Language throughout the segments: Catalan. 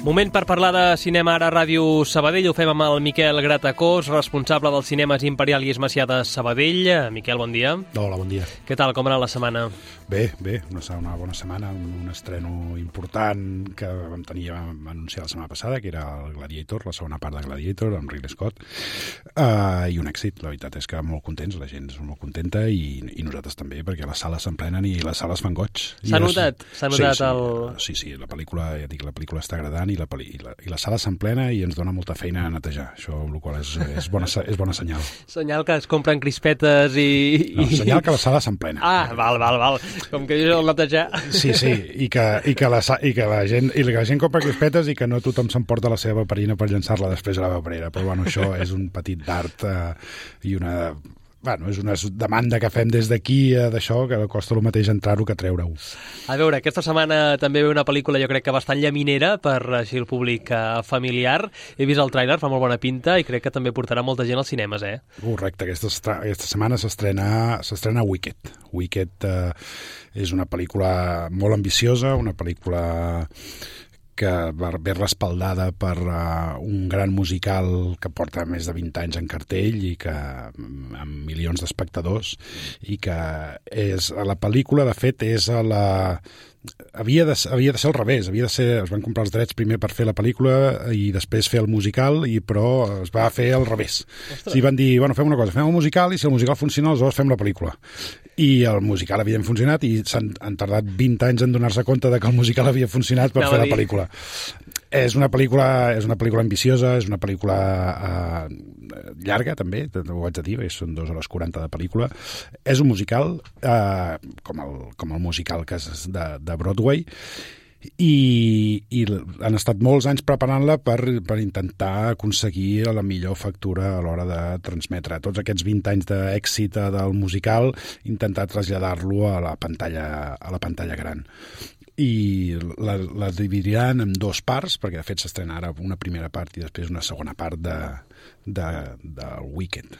Moment per parlar de cinema ara a Ràdio Sabadell. Ho fem amb el Miquel Gratacós, responsable dels cinemes Imperial i Esmacià de Sabadell. Miquel, bon dia. Hola, bon dia. Què tal, com ha anat la setmana? Bé, una bona setmana, un estreno important que vam anunciar la setmana passada, que era el Gladiator, la segona part de Gladiator, amb Ridley Scott, i un èxit. La veritat és que molt contents, la gent és molt contenta i nosaltres també, perquè les sales s'emplenen i les sales fan goig. S'ha notat Sí, la pel·lícula, ja dic, la pel·lícula està agradant i la sala s'emplena i ens dona molta feina a netejar. Això, el qual és bona senyal. Senyal que es compren crispetes i... No, senyal que la sala s'emplena. Ah, val. Com que dius el netejar. Sí, i que la gent compra crispetes i que no tothom s'emporta la seva paperina per llançar-la després a la paperera. Però bueno, això és un petit d'art i una... Bueno, és una demanda que fem des d'aquí d'això, que costa el mateix entrar-ho que treure-ho. A veure, aquesta setmana també ve una pel·lícula jo crec que bastant llaminera per així el públic familiar. He vist el tràiler, fa molt bona pinta i crec que també portarà molta gent als cinemes, Correcte, aquesta setmana s'estrena Wicked. Wicked és una pel·lícula molt ambiciosa, una pel·lícula que ve respaldada per un gran musical que porta més de 20 anys en cartell i que amb milions d'espectadors, i que la pel·lícula, de fet, havia de ser al revés, es van comprar els drets primer per fer la pel·lícula i després fer el musical, però es va fer al revés. Sí, van dir, bueno, fem una cosa, fem el musical i si el musical funciona, aleshores fem la pel·lícula. I el musical havia funcionat i han tardat 20 anys en donar-se compte de que el musical havia funcionat per fer la pel·lícula. És una pel·lícula ambiciosa, és una pel·lícula llarga, també, ho haig de dir, són 2 hores 40 de pel·lícula. És un musical, com el musical que és de Broadway, i han estat molts anys preparant-la per intentar aconseguir la millor factura a l'hora de transmetre tots aquests 20 anys d'èxit del musical, intentar traslladar-lo a la pantalla gran. I la dividiran en 2 parts, perquè de fet s'estrena ara una primera part i després una segona part del Wicked.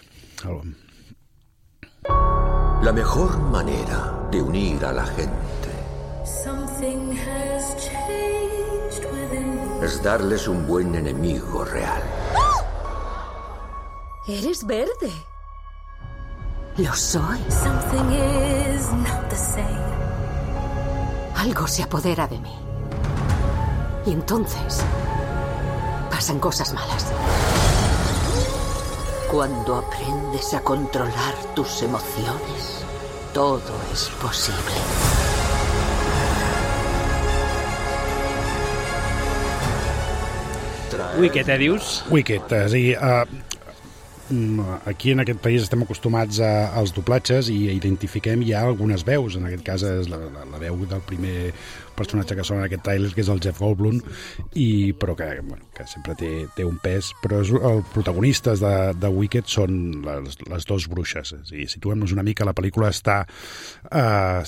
La mejor manera de unir a la gente es darles un buen enemigo real. ¡Eres verde! Lo soy. Algo se apodera de mí. Y entonces pasan cosas malas. Cuando aprendes a controlar tus emociones, todo es posible. Wicked, dius? Wicked, és a dir, aquí en aquest país estem acostumats als doblatges i identifiquem ja algunes veus. En aquest cas és la veu del primer personatge que sona en aquest tràiler, que és el Jeff Goldblum, però que sempre té un pes. Però els protagonistes de Wicked són les 2 bruixes. És a dir, situem-nos una mica, la pel·lícula està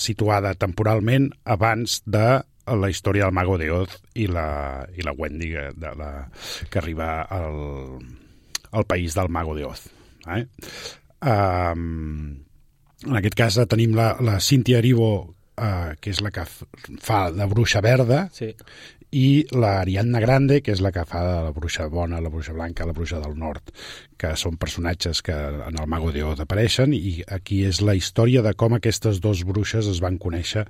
situada temporalment abans de la història del Mago de Oz i la Wendy que arriba al país del Mago de Oz. En aquest cas tenim la Cynthia Erivo, que és la que fa de bruixa verda, sí, i la Ariadna Grande, que és la que fa de la bruixa bona, la bruixa blanca, la bruixa del nord, que són personatges que en el Mago de Oz apareixen, i aquí és la història de com aquestes 2 bruixes es van conèixer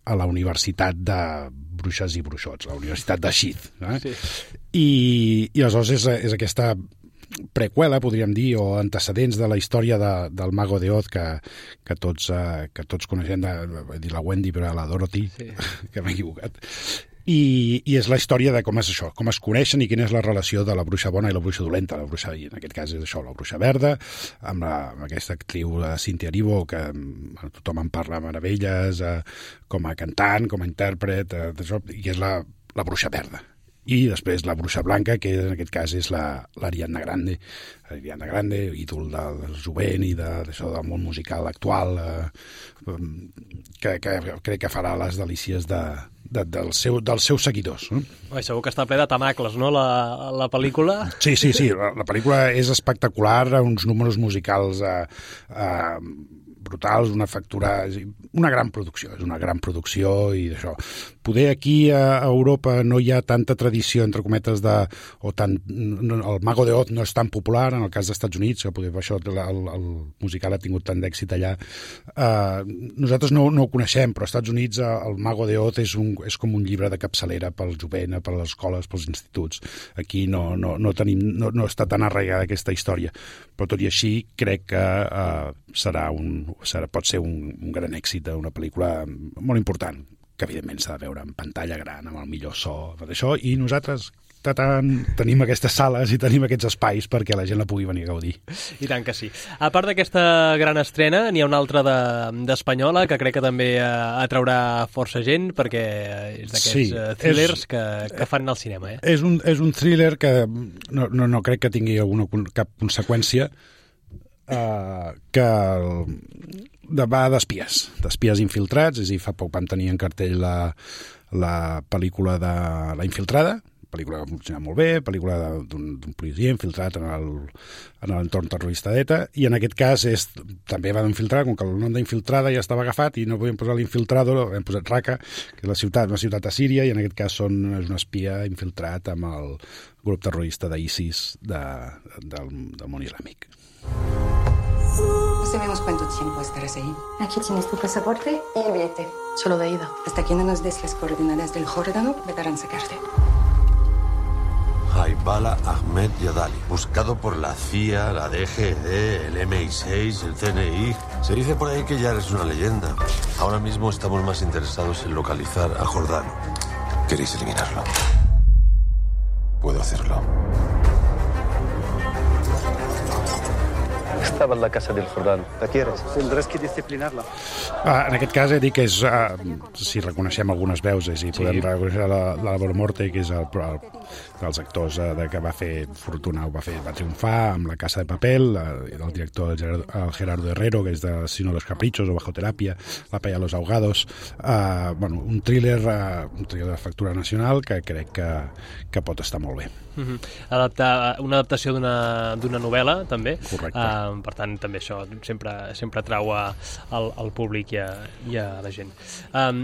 a la Universitat de Bruixes i Bruixots, la Universitat de Sheath. Sí. I aleshores és aquesta preqüela, podríem dir, o antecedents de la història del Mago de Oz que tots coneixem, la Wendy, però la Dorothy, sí, que m'he equivocat. I és la història de com és això, com es coneixen i quina és la relació de la bruixa bona i la bruixa dolenta. La bruixa, en aquest cas és això, la bruixa verda, amb aquesta actriu Cynthia Erivo, que tothom en parla meravelles, com a cantant, com a intèrpret, i és la bruixa verda. I després la bruixa blanca, que en aquest cas és l'Ariadna Grande. Ariadna Grande, ídol del jovent i d'això del món musical actual, que crec que farà les delícies dels seus seguidors. Segur que està ple de temacles, no, la pel·lícula? Sí, la pel·lícula és espectacular, uns números musicals brutals, una factura, una gran producció, és una gran producció i d'això. Poder aquí a Europa no hi ha tanta tradició, entre cometes, el Mago de Oz no és tan popular, en el cas dels Estats Units, que poder, això, el musical ha tingut tant d'èxit allà. Nosaltres no ho coneixem, però als Estats Units el Mago de Oz és com un llibre de capçalera pel jovent, per les escoles, pels instituts. Aquí no està tan arraigada aquesta història, però tot i així crec que pot ser un gran èxit, una pel·lícula molt important, que evidentment s'ha de veure en pantalla gran, amb el millor so, d'això, i nosaltres tenim aquestes sales i tenim aquests espais perquè la gent la pugui venir a gaudir. I tant que sí. A part d'aquesta gran estrena, n'hi ha una altra d'espanyola que crec que també atraurà força gent perquè és d'aquests thrillers que fan al cinema. És un thriller que no crec que tingui cap conseqüència, que va d'espies infiltrats, és a dir, fa poc vam tenir en cartell la pel·lícula de La Infiltrada, pel·lícula que funciona molt bé, pel·lícula d'un policia infiltrat en l'entorn terrorista d'ETA, i en aquest cas també va d'infiltrar, com que el nom d'infiltrada ja estava agafat i no podíem posar l'infiltrador, hem posat Raqqa, que és una ciutat a Síria, i en aquest cas és un espia infiltrat amb el grup terrorista d'ISIS del món islàmic. No sabemos cuánto tiempo estarás ahí. Aquí tienes tu pasaporte y el billete. Solo de ida. Hasta que no nos des las coordenadas del Jordano, deberán sacarte. Haibala Ahmed Yadali, buscado por la CIA, la DGD, el MI6, el CNI. Se dice por ahí que ya eres una leyenda. Ahora mismo estamos más interesados en localizar a Jordano. ¿Queréis eliminarlo? Puedo hacerlo. Estaba en la casa del Jordano. ¿La quieres? Tendrás que disciplinarla. En aquest cas he dit que és, si reconeixem algunes veus, i podem reconèixer l'Álvaro Morte, que és dels actors que va fer fortuna, va triomfar amb La Casa de Papel, el director el Gerardo Herrero, que és de Sino los Caprichos o Bajo Terapia, La Playa de los Ahogados, un thriller de factura nacional que crec que pot estar molt bé. Una adaptació d'una novel·la, també. Correcte. Per tant, també això sempre atrau al públic i a la gent.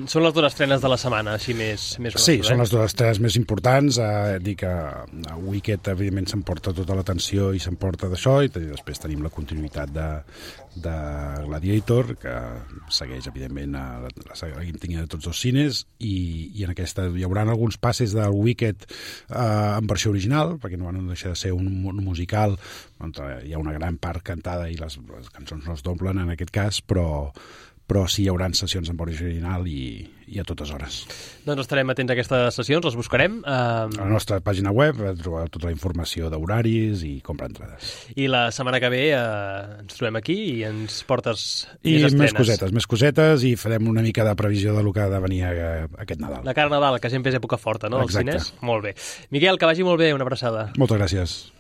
Són les dues estrenes de la setmana, així més Sí, són les dues estrenes més importants. Dir que a Wicked, evidentment, s'emporta tota l'atenció i s'emporta d'això, i després tenim la continuïtat de Gladiator, que segueix, evidentment, la saga de tots els cines, i en aquesta hi haurà alguns passes del Wicked en versió original, perquè no van deixar de ser un musical, on hi ha una gran part cantada i les cançons no es doblen en aquest cas, però sí hi haurà sessions en versió original i a totes hores. Doncs estarem atents a aquestes sessions, les buscarem. A la nostra pàgina web trobareu tota la informació d'horaris i comprar entrades. I la setmana que ve ens trobem aquí i ens portes més estrenes. Més cosetes, i farem una mica de previsió del que ha de venir aquest Nadal. La cara Nadal, que sempre és època forta, no? Exacte. Als cines? Molt bé. Miquel, que vagi molt bé, una abraçada. Moltes gràcies.